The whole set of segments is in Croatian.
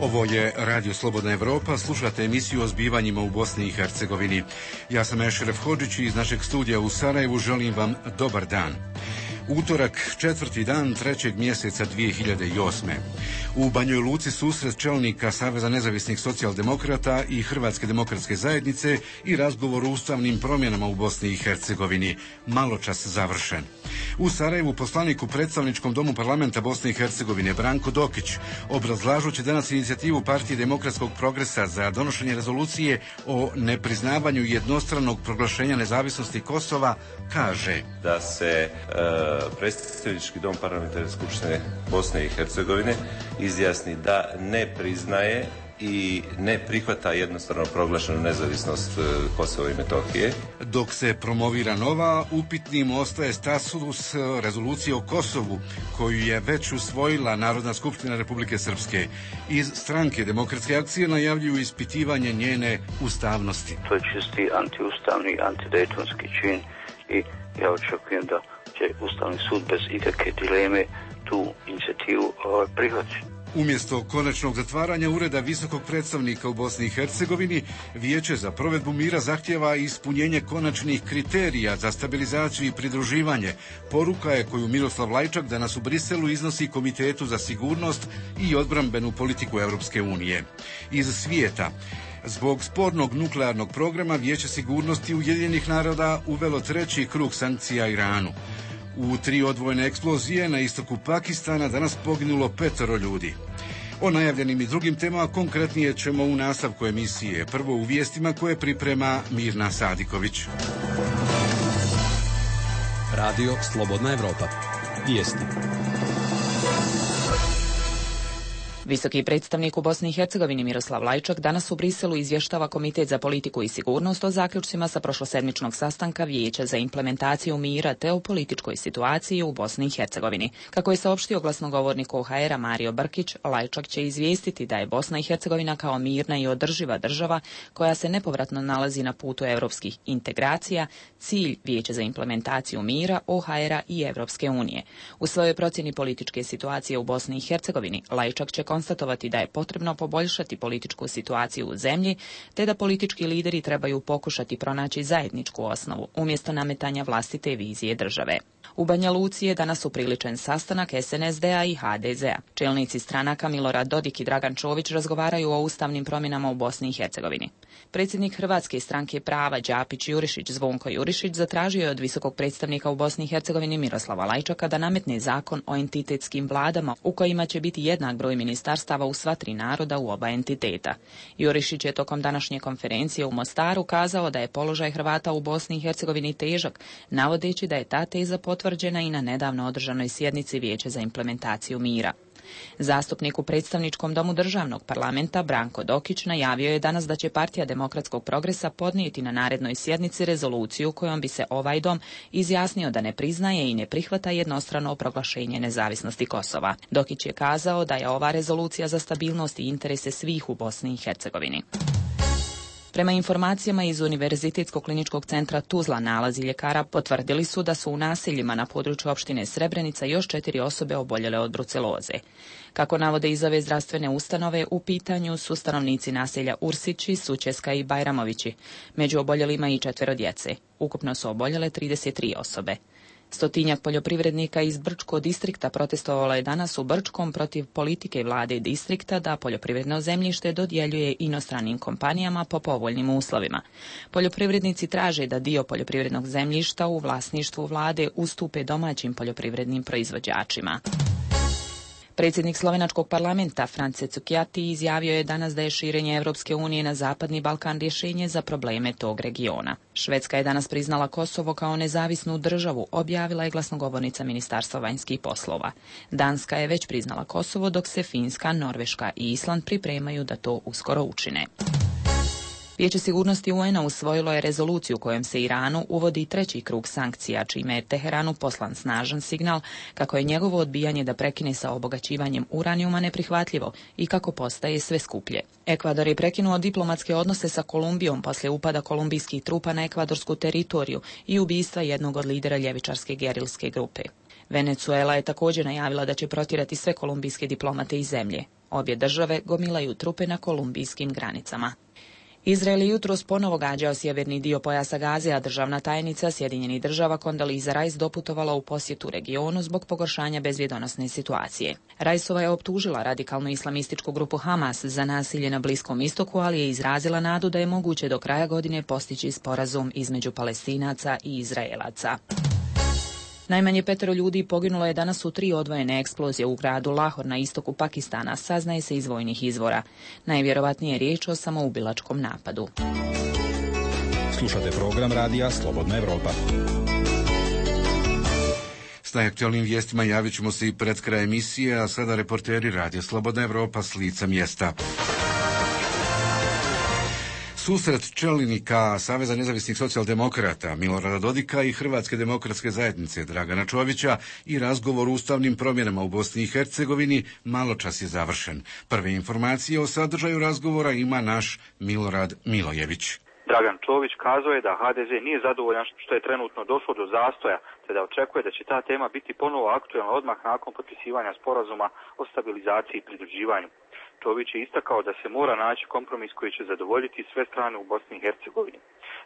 Ovo je Radio Slobodna Evropa, slušate emisiju o zbivanjima u Bosni i Hercegovini. Ja sam Ešref Hodžić i iz našeg studija u Sarajevu želim vam dobar dan. Utorak, 4. dan 3. mjeseca 2008. U Banjoj Luci susret čelnika Saveza nezavisnih socijaldemokrata i Hrvatske demokratske zajednice i razgovor o ustavnim promjenama u Bosni i Hercegovini. Maločas završen. U Sarajevu poslanik u predstavničkom domu parlamenta Bosne i Hercegovine Branko Dokić, obrazlažući danas inicijativu Partije demokratskog progresa za donošenje rezolucije o nepriznavanju jednostranog proglašenja nezavisnosti Kosova, kaže da se predstavnički dom parlamentarne skupštine Bosne i Hercegovine izjasni da ne priznaje i ne prihvata jednostrano proglašenu nezavisnost Kosova i Metohije. Dok se promovira nova, upitnim ostaje status rezolucije o Kosovu, koju je već usvojila Narodna skupština Republike Srpske. Iz stranke Demokratske akcije najavljuju ispitivanje njene ustavnosti. To je čisti antiustavni, antidejtonski čin i ja očekujem da će Ustavni sud bez ikakve dileme tu inicijativu prihvatiti. Umjesto konačnog zatvaranja ureda visokog predstavnika u Bosni i Hercegovini, Vijeće za provedbu mira zahtjeva ispunjenje konačnih kriterija za stabilizaciju i pridruživanje. Poruka je koju Miroslav Lajčak danas u Briselu iznosi Komitetu za sigurnost i odbrambenu politiku Europske unije. Iz svijeta. Zbog spornog nuklearnog programa Vijeće sigurnosti Ujedinjenih naroda uvelo 3. krug sankcija Iranu. U 3 odvojene eksplozije na istoku Pakistana danas poginulo 5 ljudi. O najavljenim i drugim temama konkretnije ćemo u nastavku emisije. Prvo u vijestima koje priprema Mirna Sadiković. Radio Slobodna Evropa. Vijesti. Visoki predstavnik u Bosni i Hercegovini Miroslav Lajčak danas u Briselu izvještava Komitet za politiku i sigurnost o zaključcima sa prošlosedmičnog sastanka Vijeća za implementaciju mira te o političkoj situaciji u Bosni i Hercegovini. Kako je saopštio glasnogovornik OHR-a Mario Brkić, Lajčak će izvijestiti da je Bosna i Hercegovina kao mirna i održiva država koja se nepovratno nalazi na putu europskih integracija, cilj Vijeća za implementaciju mira, OHR-a i Evropske unije. U svojoj procjeni političke situacije u Bosni i Hercegovini, Lajčak će konstatovati da je potrebno poboljšati političku situaciju u zemlji, te da politički lideri trebaju pokušati pronaći zajedničku osnovu, umjesto nametanja vlastite vizije države. U Banja Luci je danas upriličen sastanak SNSD-a i HDZ-a. Čelnici stranaka Milorad Dodik i Dragan Čović razgovaraju o ustavnim promjenama u Bosni i Hercegovini. Predsjednik Hrvatske stranke prava Đapić Jurišić Zvonko Jurišić zatražio je od visokog predstavnika u Bosni i Hercegovini Miroslava Lajčaka da nametne zakon o entitetskim vladama u kojima će biti jednak broj ministarstava u sva 3 naroda u oba entiteta. Jurišić je tokom današnje konferencije u Mostaru kazao da je položaj Hrvata u Bosni i Hercegovini težak, navodeći da je ta teza potvrđena i na nedavno održanoj sjednici Vijeća za implementaciju mira. Zastupnik u predstavničkom domu državnog parlamenta Branko Dokić najavio je danas da će Partija demokratskog progresa podnijeti na narednoj sjednici rezoluciju kojom bi se ovaj dom izjasnio da ne priznaje i ne prihvata jednostrano proglašenje nezavisnosti Kosova. Dokić je kazao da je ova rezolucija za stabilnost i interese svih u Bosni i Hercegovini. Prema informacijama iz Univerzitetskog kliničkog centra Tuzla, nalazi ljekara potvrdili su da su u naseljima na području opštine Srebrenica još 4 osobe oboljele od bruceloze. Kako navode iz ove zdravstvene ustanove, u pitanju su stanovnici naselja Ursići, Sučeska i Bajramovići. Među oboljelima i 4 djece. Ukupno su oboljele 33 osobe. 100-tinjak poljoprivrednika iz Brčkog distrikta protestovalo je danas u Brčkom protiv politike vlade distrikta da poljoprivredno zemljište dodjeljuje inostranim kompanijama po povoljnim uslovima. Poljoprivrednici traže da dio poljoprivrednog zemljišta u vlasništvu vlade ustupe domaćim poljoprivrednim proizvođačima. Predsjednik slovenačkog parlamenta France Cukjati izjavio je danas da je širenje Europske unije na Zapadni Balkan rješenje za probleme tog regiona. Švedska je danas priznala Kosovo kao nezavisnu državu, objavila je glasnogovornica Ministarstva vanjskih poslova. Danska je već priznala Kosovo, dok se Finska, Norveška i Island pripremaju da to uskoro učine. Vijeće sigurnosti UN-a usvojilo je rezoluciju kojom se Iranu uvodi 3. krug sankcija, čime je Teheranu poslan snažan signal kako je njegovo odbijanje da prekine sa obogaćivanjem uranijuma neprihvatljivo i kako postaje sve skuplje. Ekvador je prekinuo diplomatske odnose sa Kolumbijom poslije upada kolumbijskih trupa na ekvadorsku teritoriju i ubistva jednog od lidera ljevičarske gerilske grupe. Venezuela je također najavila da će protjerati sve kolumbijske diplomate iz zemlje. Obje države gomilaju trupe na kolumbijskim granicama. Izrael je jutros ponovo gađao sjeverni dio pojasa Gaze, a državna tajnica Sjedinjenih država Condoleezza Rice doputovala u posjetu regionu zbog pogoršanja bezbjedonosne situacije. Riceova je optužila radikalnu islamističku grupu Hamas za nasilje na Bliskom istoku, ali je izrazila nadu da je moguće do kraja godine postići sporazum između Palestinaca i Izraelaca. Najmanje 5 ljudi poginulo je danas u 3 odvojene eksplozije u gradu Lahor na istoku Pakistana, saznaje se iz vojnih izvora. Najvjerovatnije je riječ o samoubilačkom napadu. Slušate program radija Slobodna Evropa. S najaktualnim vijestima javit ćemo se i pred kraj emisije, a sada reporteri radija Slobodna Evropa s lica mjesta. Susret čelnika Saveza nezavisnih socijaldemokrata Milorada Dodika i Hrvatske demokratske zajednice Dragana Čovića i razgovor o ustavnim promjenama u Bosni i Hercegovini maločas je završen. Prve informacije o sadržaju razgovora ima naš Milorad Milojević. Dragan Čović kazao je da HDZ nije zadovoljan što je trenutno došlo do zastoja, te da očekuje da će ta tema biti ponovo aktualna odmah nakon potpisivanja sporazuma o stabilizaciji i pridruživanju. Čović je istakao da se mora naći kompromis koji će zadovoljiti sve strane u Bosni i Hercegovini.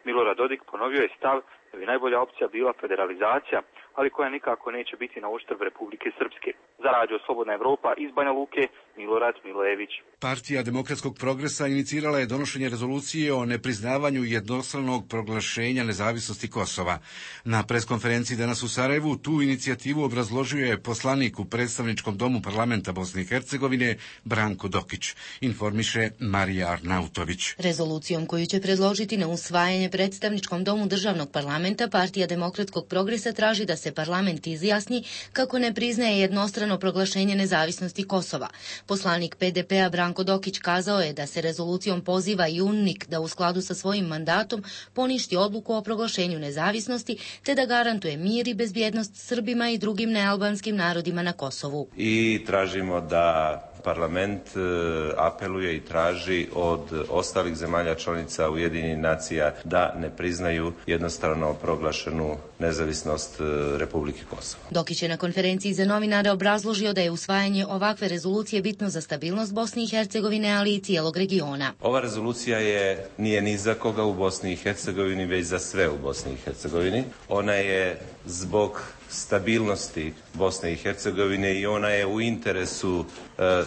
Milorad Dodik ponovio je stav da bi najbolja opcija bila federalizacija, ali koja nikako neće biti na uštrb Republike Srpske. Za Radio Slobodna Evropa iz Banja Luke, Milorad Milojević. Partija Demokratskog progresa inicirala je donošenje rezolucije o nepriznavanju jednostranog proglašenja nezavisnosti Kosova. Na preskonferenciji danas u Sarajevu tu inicijativu obrazložio je poslanik u predstavničkom domu parlamenta Bosne i Hercegovine Branko Dokić, informiše Marija Arnautović. Rezolucijom koju će predložiti na usvajanje predstavničkom domu državnog parlamenta, Partija Demokratskog progresa traži da se parlament izjasni kako ne priznaje jednostrano proglašenje nezavisnosti Kosova. Poslanik PDP-a Branko Dokić kazao je da se rezolucijom poziva i UNMIK da u skladu sa svojim mandatom poništi odluku o proglašenju nezavisnosti te da garantuje mir i bezbjednost Srbima i drugim nealbanskim narodima na Kosovu. I tražimo da parlament apeluje i traži od ostalih zemalja članica Ujedinjenih nacija da ne priznaju jednostrano proglašenu nezavisnost Republike Kosovo. Dokić je na konferenciji za novinare obrazložio da je usvajanje ovakve rezolucije bitno za stabilnost Bosne i Hercegovine, ali i cijelog regiona. Ova rezolucija nije ni za koga u Bosni i Hercegovini, već za sve u Bosni i Hercegovini. Ona je zbog stabilnosti Bosne i Hercegovine i ona je u interesu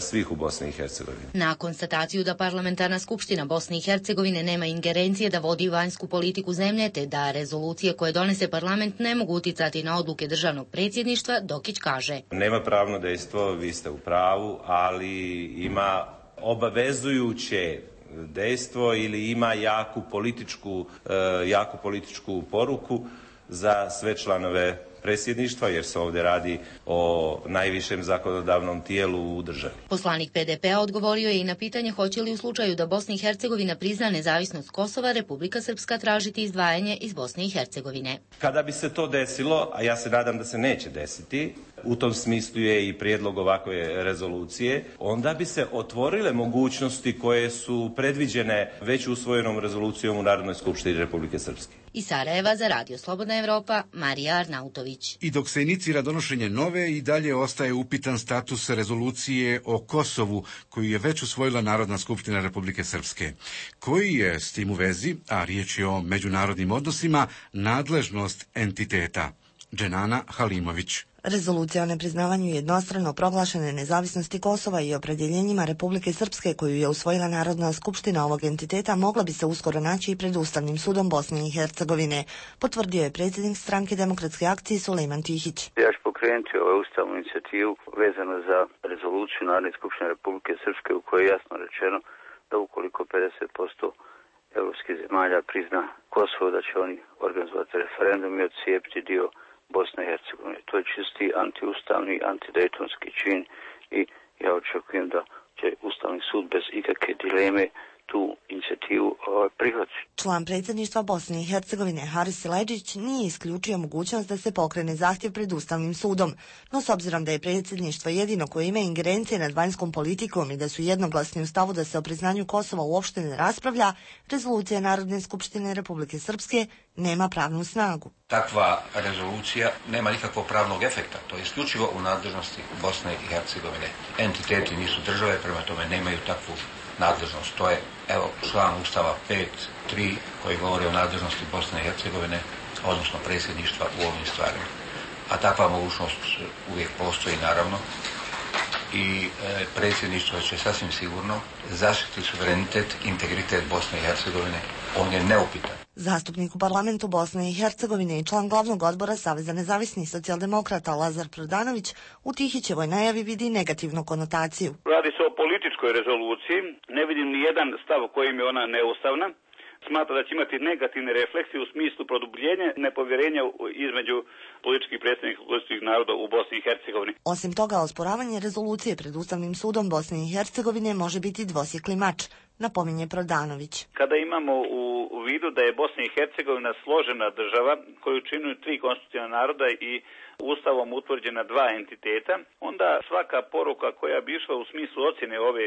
svih u Bosni i Hercegovini. Na konstataciju da parlamentarna skupština Bosne i Hercegovine nema ingerencije da vodi vanjsku politiku zemlje, te da rezolucije koje donese parlament ne mogu uticati na odluke državnog predsjedništva, Dokić kaže: Nema pravno dejstvo, vi ste u pravu, ali ima obavezujuće dejstvo ili ima jaku političku poruku za sve članove predsjedništva, jer se ovdje radi o najvišem zakonodavnom tijelu u državi. Poslanik PDP-a odgovorio je i na pitanje hoće li u slučaju da Bosna i Hercegovina prizna nezavisnost Kosova, Republika Srpska tražiti izdvajanje iz Bosne i Hercegovine. Kada bi se to desilo, a ja se nadam da se neće desiti, u tom smislu je i prijedlog ovakve rezolucije, onda bi se otvorile mogućnosti koje su predviđene već usvojenom rezolucijom u Narodnoj skupštini Republike Srpske. Iz Sarajeva za Radio Slobodna Evropa, Marija Arnautović. I dok se inicira donošenje nove, i dalje ostaje upitan status rezolucije o Kosovu, koju je već usvojila Narodna skupština Republike Srpske. Koji je s tim u vezi, a riječ je o međunarodnim odnosima, nadležnost entiteta? Dženana Halimović. Rezolucija o nepriznavanju jednostrano proglašene nezavisnosti Kosova i opredjeljenjima Republike Srpske koju je usvojila Narodna skupština ovog entiteta mogla bi se uskoro naći i pred Ustavnim sudom Bosne i Hercegovine, potvrdio je predsjednik stranke Demokratske akcije Sulejman Tihić. Ja ću pokrenuti ovu ustavnu inicijativu vezano za rezoluciju Narodne skupštine Republike Srpske u kojoj je jasno rečeno da ukoliko 50% europskih zemalja prizna Kosovo, da će oni organizovati referendum i odcijepiti dio Bosne i Hercegovine. To je čisti antiustavni, antidejtonski čin i ja očekujem da će Ustavni sud bez ikakve dileme tu inicijativu prihvati. Član predsjedništva Bosne i Hercegovine Haris Silajdžić nije isključio mogućnost da se pokrene zahtjev pred Ustavnim sudom, no s obzirom da je predsjedništvo jedino koje ima ingerencije nad vanjskom politikom i da su jednoglasni u stavu da se o priznanju Kosova uopšte ne raspravlja, rezolucija Narodne skupštine Republike Srpske nema pravnu snagu. Takva rezolucija nema nikakvog pravnog efekta, to je isključivo u nadležnosti Bosne i Hercegovine. Entiteti nisu države, prema tome nemaju takvu nadležnost. To je, evo, član Ustava 5.3 koji govori o nadležnosti Bosne i Hercegovine, odnosno predsjedništva u ovim stvarima. A takva mogućnost uvijek postoji, naravno, i predsjedništvo će sasvim sigurno zaštiti suverenitet, integritet Bosne i Hercegovine. On je neupitan. Zastupnik u parlamentu Bosne i Hercegovine i član glavnog odbora Saveza nezavisnih socijaldemokrata Lazar Prodanović u Tihićevoj najavi vidi negativnu konotaciju. Radi se o političkoj rezoluciji. Ne vidim ni jedan stav kojim je ona neustavna. Smatra da će imati negativne refleksije u smislu produbljenja nepovjerenja između političkih predstavnika konstitutivnih naroda u Bosni i Hercegovini. Osim toga, osporavanje rezolucije pred Ustavnim sudom Bosne i Hercegovine može biti dvosjekli mač, napominje Prodanović. Kada imamo u vidu da je Bosna i Hercegovina složena država koju čine 3 konstitutivna naroda i Ustavom utvrđena 2 entiteta, onda svaka poruka koja bi išla u smislu ocjene ove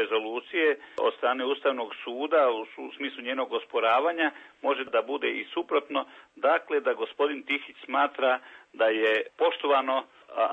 rezolucije od strane Ustavnog suda u smislu njenog osporavanja može da bude i suprotno, dakle da gospodin Tihić smatra da je poštovano,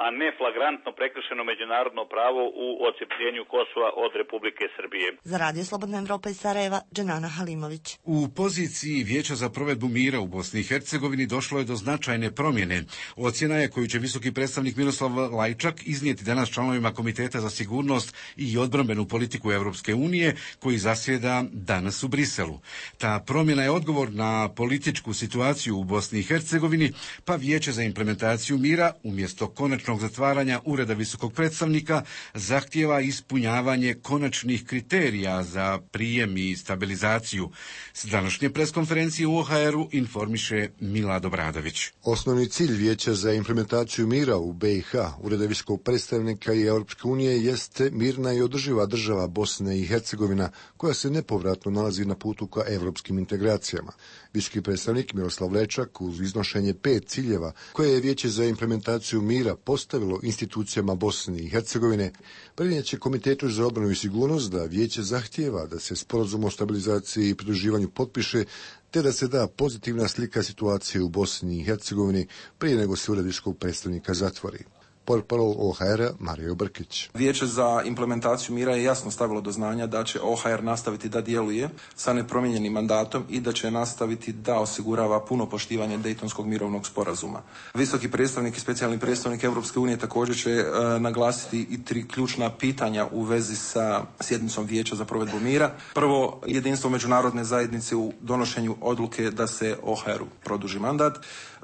a ne flagrantno prekršeno međunarodno pravo u odcepljenju Kosova od Republike Srbije. Za Radio Slobodna Evropa iz Sarajeva, Dženana Halimović. U poziciji Vijeća za provedbu mira u Bosni i Hercegovini došlo je do značajne promjene. Ocjena je koju će visoki predstavnik Miroslav Lajčak iznijeti danas članovima Komiteta za sigurnost i odbrambenu politiku Europske unije, koji zasjeda danas u Briselu. Ta promjena je odgovor na političku situaciju u Bosni i Hercegovini, pa Vijeće za implementaciju mira umjesto konačnog zatvaranja ureda visokog predstavnika zahtijeva ispunjavanje konačnih kriterija za prijem i stabilizaciju. S današnje preskonferencije u OHR-u informiše Milad Obradović. Osnovni cilj Vijeća za implementaciju mira u BiH, ureda visokog predstavnika i Europske unije, jeste mirna i održiva država Bosne i Hercegovina, koja se nepovratno nalazi na putu ka evropskim integracijama. Visoki predstavnik Miroslav Lajčak uz iznošenje 5 ciljeva koje je Vijeće za implementaciju mira postavilo institucijama Bosne i Hercegovine, prenijet će Komitetu za odbranu i sigurnost da Vijeće zahtijeva da se sporazum o stabilizaciji i pridruživanju potpiše, te da se da pozitivna slika situacije u Bosni i Hercegovini prije nego se ured visokog predstavnika zatvori. Portparol OHR-a Mario Brkić. Vijeće za implementaciju mira je jasno stavilo do znanja da će OHR nastaviti da djeluje sa nepromijenjenim mandatom i da će nastaviti da osigurava puno poštivanje Dejtonskog mirovnog sporazuma. Visoki predstavnik i specijalni predstavnik Europske unije također će naglasiti i 3 ključna pitanja u vezi sa sjednicom Vijeća za provedbu mira. Prvo, jedinstvo međunarodne zajednice u donošenju odluke da se OHR-u produži mandat.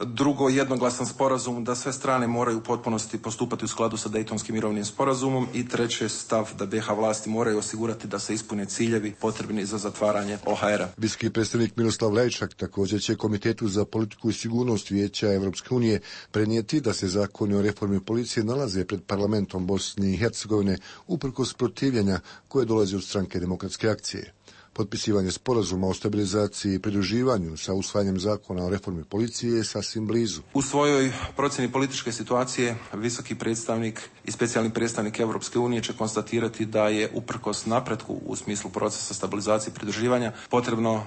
Drugo, jednoglasan sporazum da sve strane moraju u potpunosti postupati u skladu sa Dejtonskim mirovnim sporazumom. I treće, stav da BiH vlasti moraju osigurati da se ispune ciljevi potrebni za zatvaranje OHR-a. Visoki predstavnik Miroslav Lajčak također će Komitetu za politiku i sigurnost Vijeća Europske unije prenijeti da se zakoni o reformi policije nalaze pred parlamentom Bosne i Hercegovine uprkos protivljenja koje dolazi od stranke Demokratske akcije. Potpisivanje sporazuma o stabilizaciji i pridruživanju sa usvajanjem zakona o reformi policije je sasvim blizu. U svojoj procjeni političke situacije visoki predstavnik i specijalni predstavnik Europske unije će konstatirati da je uprkos napretku u smislu procesa stabilizacije i pridruživanja potrebno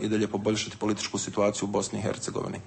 i dalje poboljšati političku situaciju u Bosni i Hercegovini.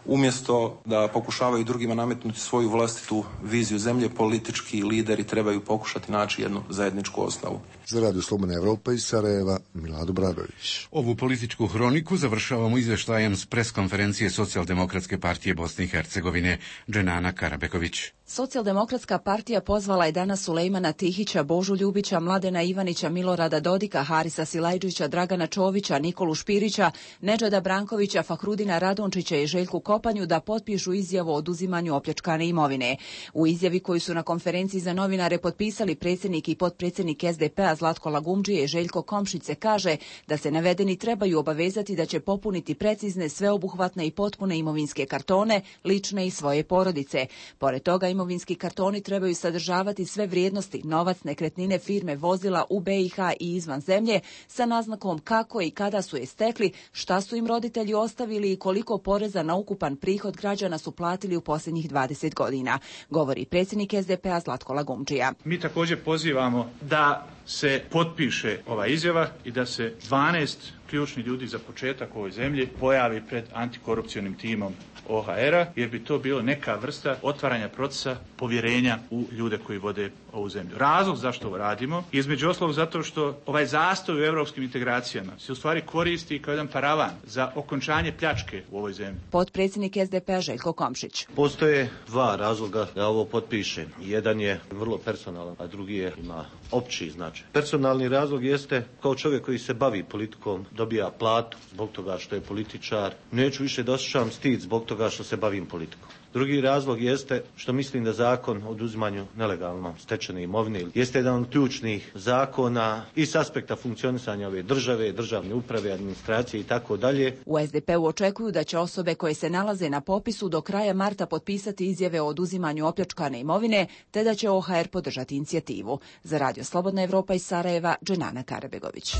Umjesto da pokušavaju drugima nametnuti svoju vlastitu viziju zemlje, politički lideri trebaju pokušati naći jednu zajedničku osnovu. Za Radio Slobodna Evropa iz Sarajeva, Milad Obradović. Ovu političku hroniku završavamo izvještajem s preskonferencije Socijaldemokratske partije Bosne i Hercegovine, Dženana Karabeković. Socijaldemokratska partija pozvala je danas Sulejmana Tihića, Božu Ljubića, Mladena Ivanića, Milorada Dodika, Harisa Silajdžića, Dragana Čovića, Nikolu Špirića, Nedžada Brankovića, Fahrudina Radončića i Željku Kopanju da potpišu izjavu o oduzimanju opljačkane imovine. U izjavi koju su na konferenciji za novinare potpisali predsjednik i potpredsjednik SDP-a Zlatko Lagumdžije i Željko Komšić se kaže da se navedeni trebaju obavezati da će popuniti precizne, sveobuhvatne i potpune imovinske kartone, lične i svoje porodice. Pored toga, imovinski kartoni trebaju sadržavati sve vrijednosti, novac, nekretnine, firme, vozila u BiH i izvan zemlje, sa naznakom kako i kada su je stekli, šta su im roditelji ostavili i koliko poreza na ukupan prihod građana su platili u posljednjih 20 godina, govori predsjednik SDP-a Zlatko Lagumdžija. Mi također pozivamo da se potpiše ova izjava i da se 12 ključnih ljudi za početak u ovoj zemlji pojavi pred antikorupcionim timom OHR-a, jer bi to bilo neka vrsta otvaranja procesa povjerenja u ljude koji vode ovu zemlju. Razlog zašto ovo radimo, između ostalog zato što ovaj zastoj u europskim integracijama se u stvari koristi kao jedan paravan za okončanje pljačke u ovoj zemlji. Potpredsjednik SDP-a Željko Komšić. Postoje dva razloga da ovo potpišem. Jedan je vrlo personalan, a drugi ima opći značaj. Personalni razlog jeste kao čovjek koji se bavi politikom, dobija platu zbog toga što je političar. Neću više da osjećam stid zbog toga što se bavim politikom. Drugi razlog jeste što mislim da zakon o oduzimanju nelegalno stečene imovine jeste jedan od ključnih zakona i s aspekta funkcionisanja ove države, državne uprave, administracije i tako dalje. U SDP-u očekuju da će osobe koje se nalaze na popisu do kraja marta potpisati izjave o oduzimanju opljačkane imovine, te da će OHR podržati inicijativu. Za Radio Slobodna Evropa iz Sarajeva, Dženana Karabegović.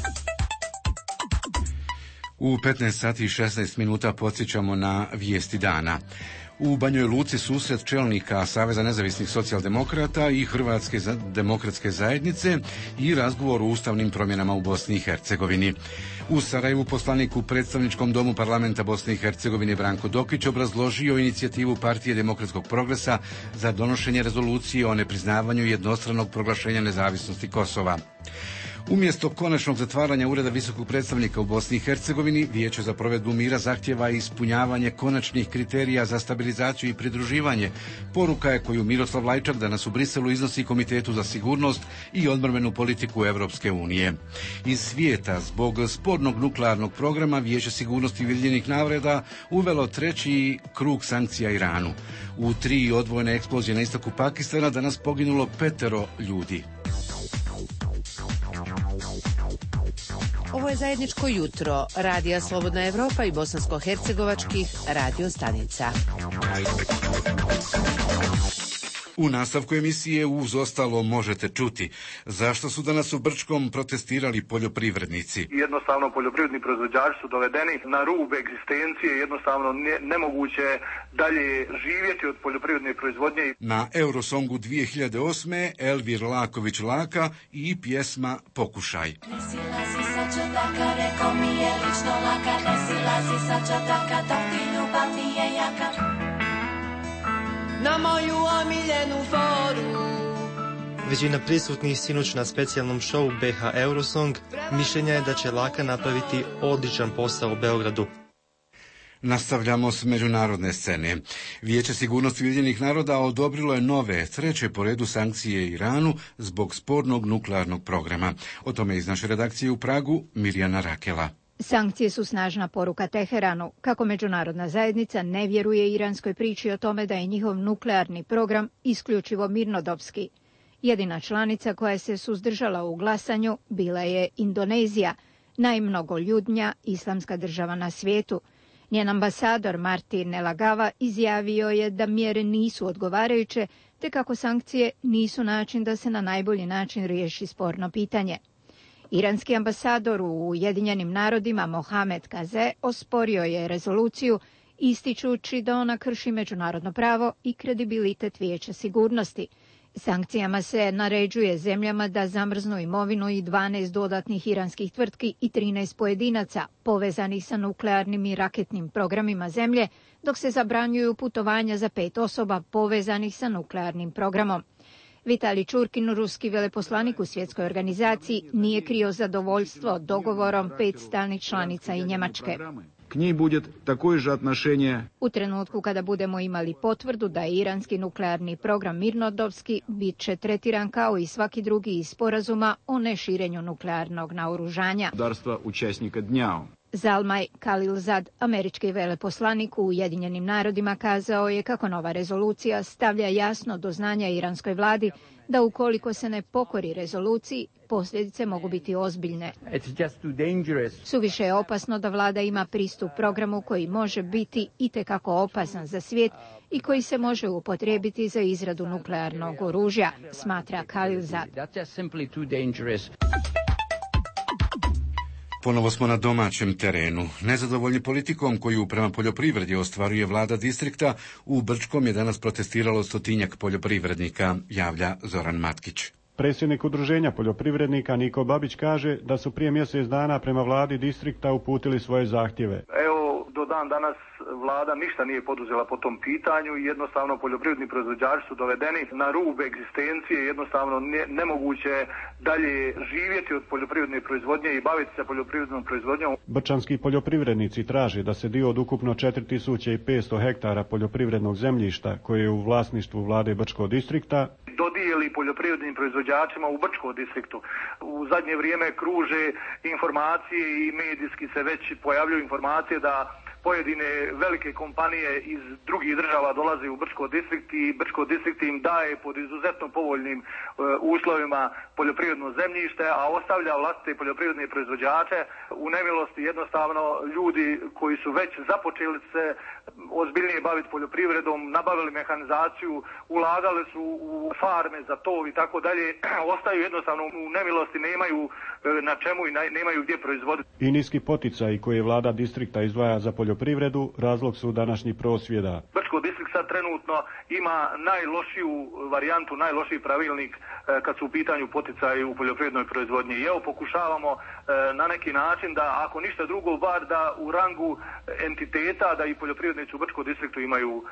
U 15 sati i 16 minuta podsjećamo na vijesti dana. U Banjoj Luci susret čelnika Saveza nezavisnih socijaldemokrata i Hrvatske demokratske zajednice i razgovor o ustavnim promjenama u Bosni i Hercegovini. U Sarajevu poslanik u predstavničkom domu parlamenta Bosne i Hercegovine Branko Dokić obrazložio inicijativu Partije demokratskog progresa za donošenje rezolucije o nepriznavanju jednostranog proglašenja nezavisnosti Kosova. Umjesto konačnog zatvaranja Ureda visokog predstavnika u Bosni i Hercegovini, Vijeće za provedbu mira zahtjeva ispunjavanje konačnih kriterija za stabilizaciju i pridruživanje. Poruka je koju Miroslav Lajčak danas u Briselu iznosi Komitetu za sigurnost i odbrambenu politiku Europske unije. Iz svijeta, zbog spornog nuklearnog programa, Vijeće sigurnosti Ujedinjenih naroda uvelo treći krug sankcija Iranu. U 3 odvojene eksplozije na istoku Pakistana danas poginulo 5 ljudi. Ovo je zajedničko jutro Radija Slobodna Evropa i bosansko-hercegovačkih radio stanica. U nastavku emisije uz ostalo možete čuti zašto su danas u Brčkom protestirali poljoprivrednici. Jednostavno poljoprivredni proizvođači su dovedeni na rub egzistencije, jednostavno nemoguće dalje živjeti od poljoprivredne proizvodnje. Na Eurosongu 2008. Elvir Laković Laka i pjesma Pokušaj. Ne silazi sa četaka, reko mi je lično laka, ne silazi sa četaka, dok ti ljubav nije jaka. Na moju omiljenu foru. Većina prisutnih sinoć na specijalnom šovu BH Eurosong mišljenja je da će Laka napraviti odličan posao u Beogradu. Nastavljamo s međunarodne scene. Vijeće sigurnosti Ujedinjenih naroda odobrilo je nove, 3. po redu sankcije Iranu zbog spornog nuklearnog programa. O tome iz naše redakcije u Pragu Mirjana Rakela. Sankcije su snažna poruka Teheranu, kako međunarodna zajednica ne vjeruje iranskoj priči o tome da je njihov nuklearni program isključivo mirnodopski. Jedina članica koja se suzdržala u glasanju bila je Indonezija, najmnogoljudnija islamska država na svijetu. Njen ambasador Martin Nelagava izjavio je da mjere nisu odgovarajuće, te kako sankcije nisu način da se na najbolji način riješi sporno pitanje. Iranski ambasador u Ujedinjenim narodima Mohamed Kaze osporio je rezoluciju, ističući da ona krši međunarodno pravo i kredibilitet Vijeća sigurnosti. Sankcijama se naređuje zemljama da zamrznu imovinu i 12 dodatnih iranskih tvrtki i 13 pojedinaca povezanih sa nuklearnim i raketnim programima zemlje, dok se zabranjuju putovanja za 5 osoba povezanih sa nuklearnim programom. Vitali Čurkin, ruski veleposlanik u svjetskoj organizaciji, nije krio zadovoljstvo dogovorom 5 stalnih članica i Njemačke. K njih bude također отношение. U trenutku kada budemo imali potvrdu da je iranski nuklearni program mirnodopski, bit će tretiran kao i svaki drugi iz sporazuma o neširenju nuklearnog naoružanja. Učesnika dnja. Zalmaj Khalilzad, američki veleposlanik u Ujedinjenim narodima, kazao je kako nova rezolucija stavlja jasno do znanja iranskoj vladi da ukoliko se ne pokori rezoluciji, posljedice mogu biti ozbiljne. Suviše je opasno da vlada ima pristup programu koji može biti itekako opasan za svijet i koji se može upotrijebiti za izradu nuklearnog oružja, smatra Khalilzad. Ponovo smo na domaćem terenu. Nezadovoljni politikom koju prema poljoprivredi ostvaruje vlada distrikta, u Brčkom je danas protestiralo 100-tinjak poljoprivrednika, javlja Zoran Matkić. Predsjednik udruženja poljoprivrednika Niko Babić kaže da su prije mjesec dana prema vladi distrikta uputili svoje zahtjeve. Do dan danas vlada ništa nije poduzela po tom pitanju i jednostavno poljoprivredni proizvođači su dovedeni na rub egzistencije, jednostavno nemoguće dalje živjeti od poljoprivredne proizvodnje i baviti se poljoprivrednom proizvodnjom. Brčanski poljoprivrednici traže da se dio od ukupno 4500 hektara poljoprivrednog zemljišta koje je u vlasništvu vlade Brčkog distrikta dodijeli poljoprivrednim proizvođačima u Brčkom distriktu. U zadnje vrijeme kruže informacije i medijski se već pojavljuju informacije da pojedine velike kompanije iz drugih država dolaze u Brčko distrikt i Brčko distrikt im daje pod izuzetno povoljnim uslovima poljoprivredno zemljište, a ostavlja vlastite poljoprivredne proizvođače u nemilosti. Jednostavno ljudi koji su već započeli se ozbiljnije baviti poljoprivredom, nabavili mehanizaciju, ulagali su u farme za tov i tako dalje, ostaju jednostavno u nemilosti, nemaju na čemu i nemaju gdje proizvoditi. I niski poticaji koje vlada distrikta izdvaja za poljoprivredu razlog su današnjih prosvjeda. Brčko distrikt sad trenutno ima najlošiju varijantu, najlošiji pravilnik kad su u pitanju poticaji u poljoprivrednoj proizvodnji. I evo pokušavamo na neki način da, ako ništa drugo, bar da u rangu entiteta da i poljoprivrednici u Brčkom distriktu imaju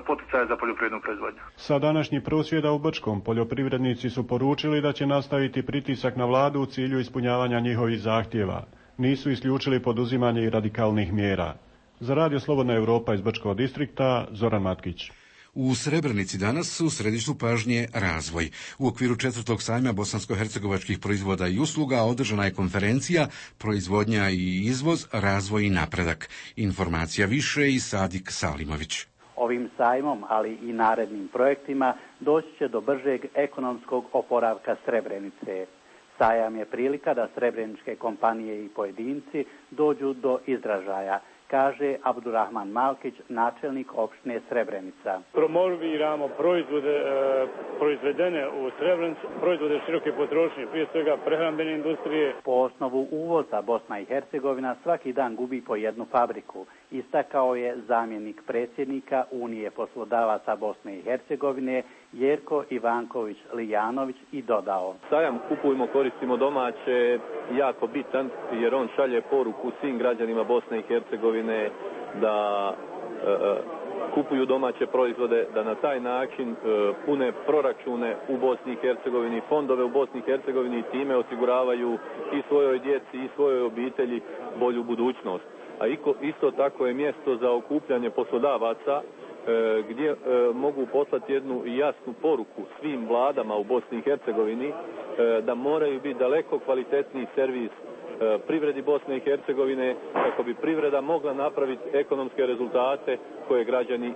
poticaje za poljoprivrednu proizvodnju. Sa današnjih prosvjeda u Brčkom poljoprivrednici su poručili da će nastaviti pritisak na vladu u cilju ispunjavanja njihovih zahtjeva. Nisu isključili poduzimanje i radikalnih mjera. Za Radio Slobodna Europa iz Brčkog distrikta, Zoran Matkić. U Srebrenici danas u središtu pažnje razvoj. U okviru 4. sajma bosansko-hercegovačkih proizvoda i usluga održana je konferencija Proizvodnja i izvoz, razvoj i napredak. Informacija više i Sadik Salimović. Ovim sajmom, ali i narednim projektima, doći će do bržeg ekonomskog oporavka Srebrenice. Sajam je prilika da srebreničke kompanije i pojedinci dođu do izražaja, kaže Abdurrahman Malkić, načelnik opštine Srebrenica. Promoviramo proizvode proizvedene u Srebrenici, proizvode široke potrošnje, prije svega prehrambene industrije. Po osnovu uvoza Bosna i Hercegovina svaki dan gubi po jednu fabriku. Istakao je zamjenik predsjednika Unije poslodavaca Bosne i Hercegovine Jerko Ivanković Lijanović i dodao: Sajam Kupujmo, koristimo domaće jako bitan jer on šalje poruku svim građanima Bosne i Hercegovine da kupuju domaće proizvode, da na taj način pune proračune u Bosni i Hercegovini, fondove u Bosni i Hercegovini i time osiguravaju i svojoj djeci i svojoj obitelji bolju budućnost. A isto tako je mjesto za okupljanje poslodavaca gdje mogu poslati jednu jasnu poruku svim vladama u Bosni i Hercegovini da moraju biti daleko kvalitetniji servis privredi Bosne i Hercegovine kako bi privreda mogla napraviti ekonomske rezultate koje građani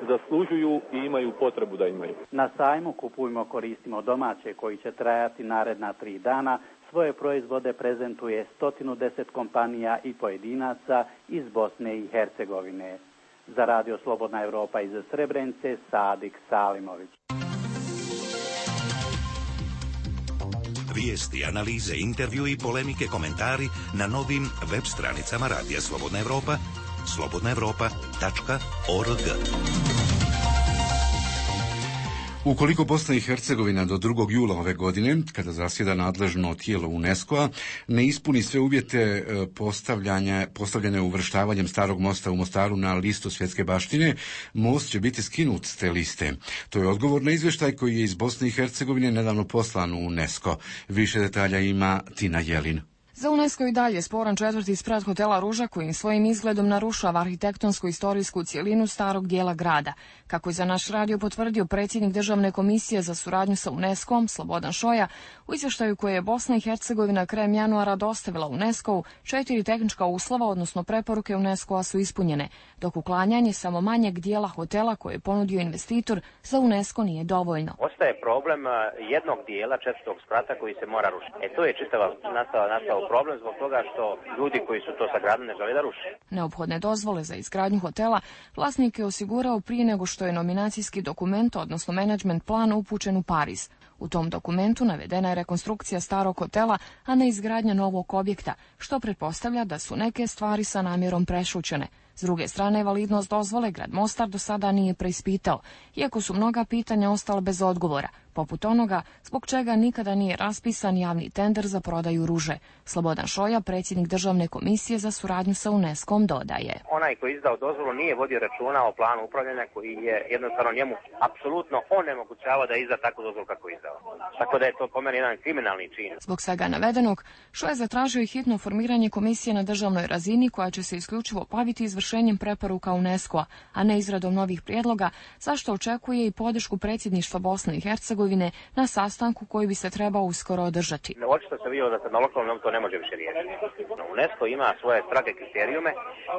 zaslužuju i imaju potrebu da imaju. Na sajmu Kupujmo, koristimo domaće koji će trajati naredna 3 dana. Svoje proizvode prezentuje 110 kompanija i pojedinaca iz Bosne i Hercegovine. Za Radio Slobodna Europa iz Srebrenice, Sadik Salimović. Vijesti, analize, intervju i polemike, komentari na novim web stranicama Radija Slobodna Europa, slobodnaevropa.org. Ukoliko Bosna i Hercegovina do 2. jula ove godine, kada zasjeda nadležno tijelo UNESCO-a, ne ispuni sve uvjete postavljene uvrštavanjem starog mosta u Mostaru na listu svjetske baštine, most će biti skinut s te liste. To je odgovor na izvještaj koji je iz Bosne i Hercegovine nedavno poslan u UNESCO. Više detalja ima Tina Jelin. Za UNESCO i dalje sporan četvrti sprat hotela Ruža koji svojim izgledom narušava arhitektonsko-istorijsku cjelinu starog dijela grada. Kako je za naš radio potvrdio predsjednik Državne komisije za suradnju sa UNESCO-om Slobodan Šoja, u izvještaju koje je Bosna i Hercegovina krajem januara dostavila UNESCO-u, 4 tehnička uslova, odnosno preporuke UNESCO-a su ispunjene, dok uklanjanje samo manjeg dijela hotela koje je ponudio investitor za UNESCO nije dovoljno. Ostaje problem jednog dijela četvrtog sprata koji se mora rušiti. To je čitava nastao problem zbog toga što ljudi koji su to sagradili ne žele da ruše. Neophodne dozvole za izgradnju hotela vlasnik je osigurao prije nego što je nominacijski dokument, odnosno management plan, upućen u Pariz. U tom dokumentu navedena je rekonstrukcija starog hotela, a ne izgradnja novog objekta, što pretpostavlja da su neke stvari sa namjerom prešućene. S druge strane, validnost dozvole grad Mostar do sada nije preispitao, iako su mnoga pitanja ostala bez odgovora, poput onoga zbog čega nikada nije raspisan javni tender za prodaju Ruže. Slobodan Šoja, predsjednik Državne komisije za suradnju sa UNESCO-om, dodaje. Onaj koji je izdao dozvolu nije vodio računa o planu upravljanja koji je jednostavno njemu apsolutno onemogućavao da izda takvu dozvolu kako je izdao. Tako da je to po meni jedan kriminalni čin. Zbog svega navedenog, Šoja je zatražio i hitno formiranje komisije na državnoj razini koja će se isključivo baviti izvršenjem preporuka UNESCO-a, a ne izradom novih prijedloga, zašto očekuje i podršku predsjedništva Bosne i Hercegovine na sastanku koji bi se trebao uskoro održati. Očito se vidjelo da se na lokalnom to ne može više riješiti. UNESCO ima svoje strage kriterijume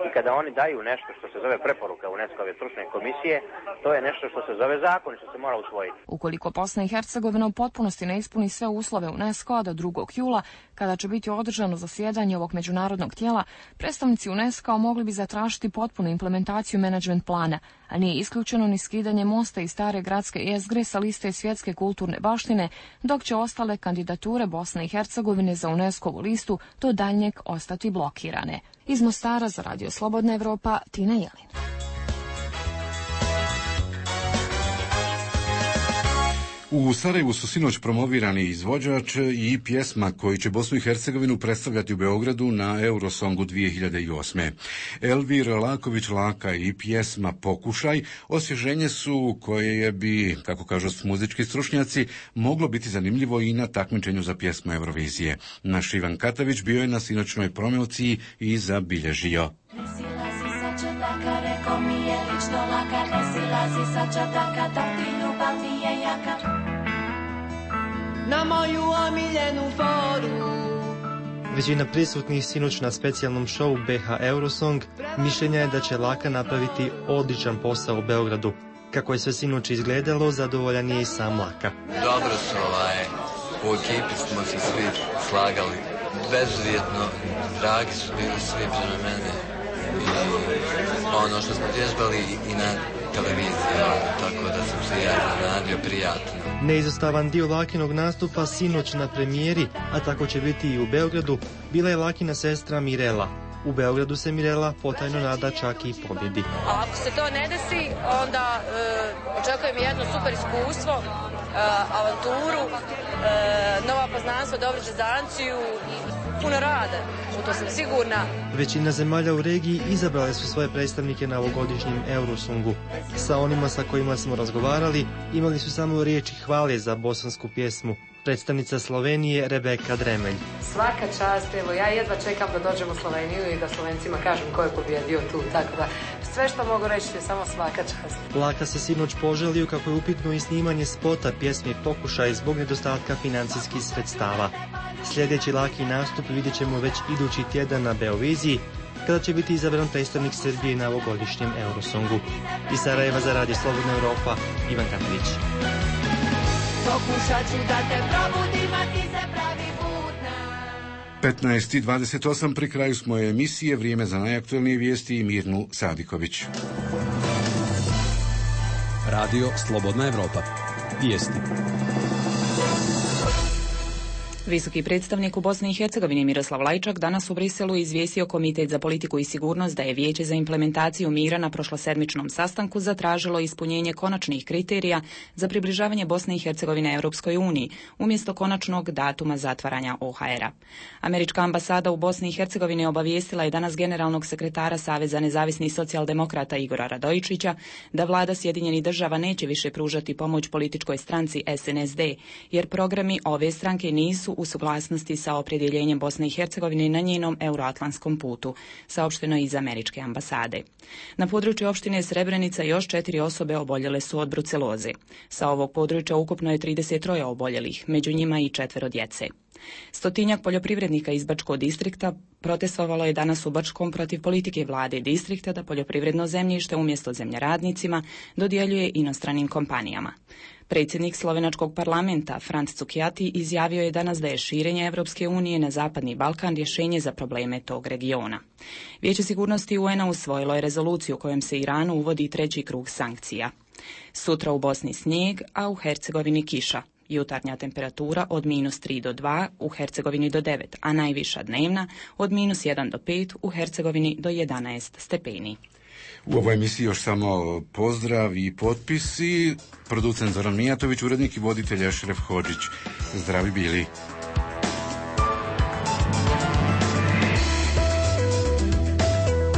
i kada oni daju nešto što se zove preporuka UNESCO-ove stručne komisije, to je nešto što se zove zakon i što se mora usvojiti. Ukoliko Bosna i Hercegovina u potpunosti ne ispuni sve uslove UNESCO-a do 2. jula, kada će biti održano zasjedanje ovog međunarodnog tijela, predstavnici UNESCO-a mogli bi zatražiti potpunu implementaciju menadžment plana, a nije isključeno ni skidanje mosta i stare gradske jezgre sa liste svjetske kulturne baštine, dok će ostale kandidature Bosne i Hercegovine za UNESCO-vu listu do daljnjeg ostati blokirane. Iz Mostara za Radio Slobodna Evropa, Tina Jelin. U Sarajevu su sinoć promovirani izvođač i pjesma koji će Bosnu i Hercegovinu predstavljati u Beogradu na Eurosongu 2008. Elvir Laković Laka i pjesma Pokušaj osvježenje su koje bi, kako kažu muzički stručnjaci, moglo biti zanimljivo i na takmičenju za pjesmu Eurovizije. Naš Ivan Katavić bio je na sinoćnoj promociji i zabilježio. Na moju omiljenu foru. Većina prisutnih sinoć na specijalnom šovu BH Eurosong mišljenja je da će Laka napraviti odličan posao u Beogradu. Kako je sve sinoć izgledalo, zadovoljan je i sam Laka. Dobro su u ekipi smo se svi slagali. Bezuvjetno, dragi su bili svi prema mene. I ono što smo vježbali i na televiziji, tako da sam se ja iznenadio prijatno. Neizostavan dio Lakinog nastupa sinoć na premijeri, a tako će biti i u Beogradu, bila je Lakina sestra Mirela. U Beogradu se Mirela potajno nada čak i pobjedi. A ako se to ne desi, onda očekujem jedno super iskustvo, avanturu, nova poznanstva, dobru distanciju i puno rada, u to sam sigurna. Većina zemalja u regiji izabrale su svoje predstavnike na ovogodišnjem Eurosongu. Sa onima sa kojima smo razgovarali, imali su samo riječi hvale za bosansku pjesmu. Predstavnica Slovenije Rebeka Dremelj. Svaka čast, evo ja jedva čekam da dođem u Sloveniju i da Slovencima kažem ko je pobjedio tu, tako da sve što mogu reći je samo svaka čast. Laka se sinoć poželio kako je upitno i snimanje spota pjesme Pokušaj zbog nedostatka financijskih sredstava. Sljedeći Laki nastup vidjet ćemo već idući tjedan na Beoviziji, kada će biti izabran predstavnik Srbije na ovogodišnjem Eurosongu. Iz Sarajeva za Radio Slobodna Evropa, Ivan Katavić. Pokušat ću da te probudim, a ti se pravi budna. 15:28 pri kraju smo emisije, vrijeme za najaktualnije vijesti i Mirnu Sadiković. Radio Slobodna Evropa. Vijesti. Visoki predstavnik u Bosni i Hercegovini Miroslav Lajčak danas u Briselu izvijestio Komitet za politiku i sigurnost da je Vijeće za implementaciju mira na prošlosedmičnom sastanku zatražilo ispunjenje konačnih kriterija za približavanje Bosne i Hercegovine Europskoj uniji, umjesto konačnog datuma zatvaranja OHR-a. Američka ambasada u Bosni i Hercegovini obavijestila je danas generalnog sekretara Saveza nezavisnih socijaldemokrata Igora Radojičića da vlada Sjedinjenih Država neće više pružati pomoć političkoj stranci SNSD, jer programi ove stranke nisu u suglasnosti sa opredjeljenjem Bosne i Hercegovine na njenom euroatlantskom putu, saopšteno iz američke ambasade. Na području opštine Srebrenica još 4 osobe oboljele su od bruceloze. Sa ovog područja ukupno je 33 oboljelih, među njima i 4 djece. 100-tinjak poljoprivrednika iz Bačkog distrikta protestovalo je danas u Bačkom protiv politike vlade distrikta da poljoprivredno zemljište umjesto zemljoradnicima dodjeljuje inostranim kompanijama. Predsjednik slovenačkog parlamenta Franc Cukjati izjavio je danas da je širenje Europske unije na Zapadni Balkan rješenje za probleme tog regiona. Vijeće sigurnosti UN-a usvojilo je rezoluciju kojom se Iranu uvodi 3. krug sankcija. Sutra u Bosni snijeg, a u Hercegovini kiša. Jutarnja temperatura od -3 do 2, u Hercegovini do 9, a najviša dnevna od -1 do 5, u Hercegovini do 11 stepeni. U ovoj emisiji još samo pozdrav i potpisi. Producent Zoran Mijatović, urednik i voditelj Ešref Hodžić. Zdravi bili.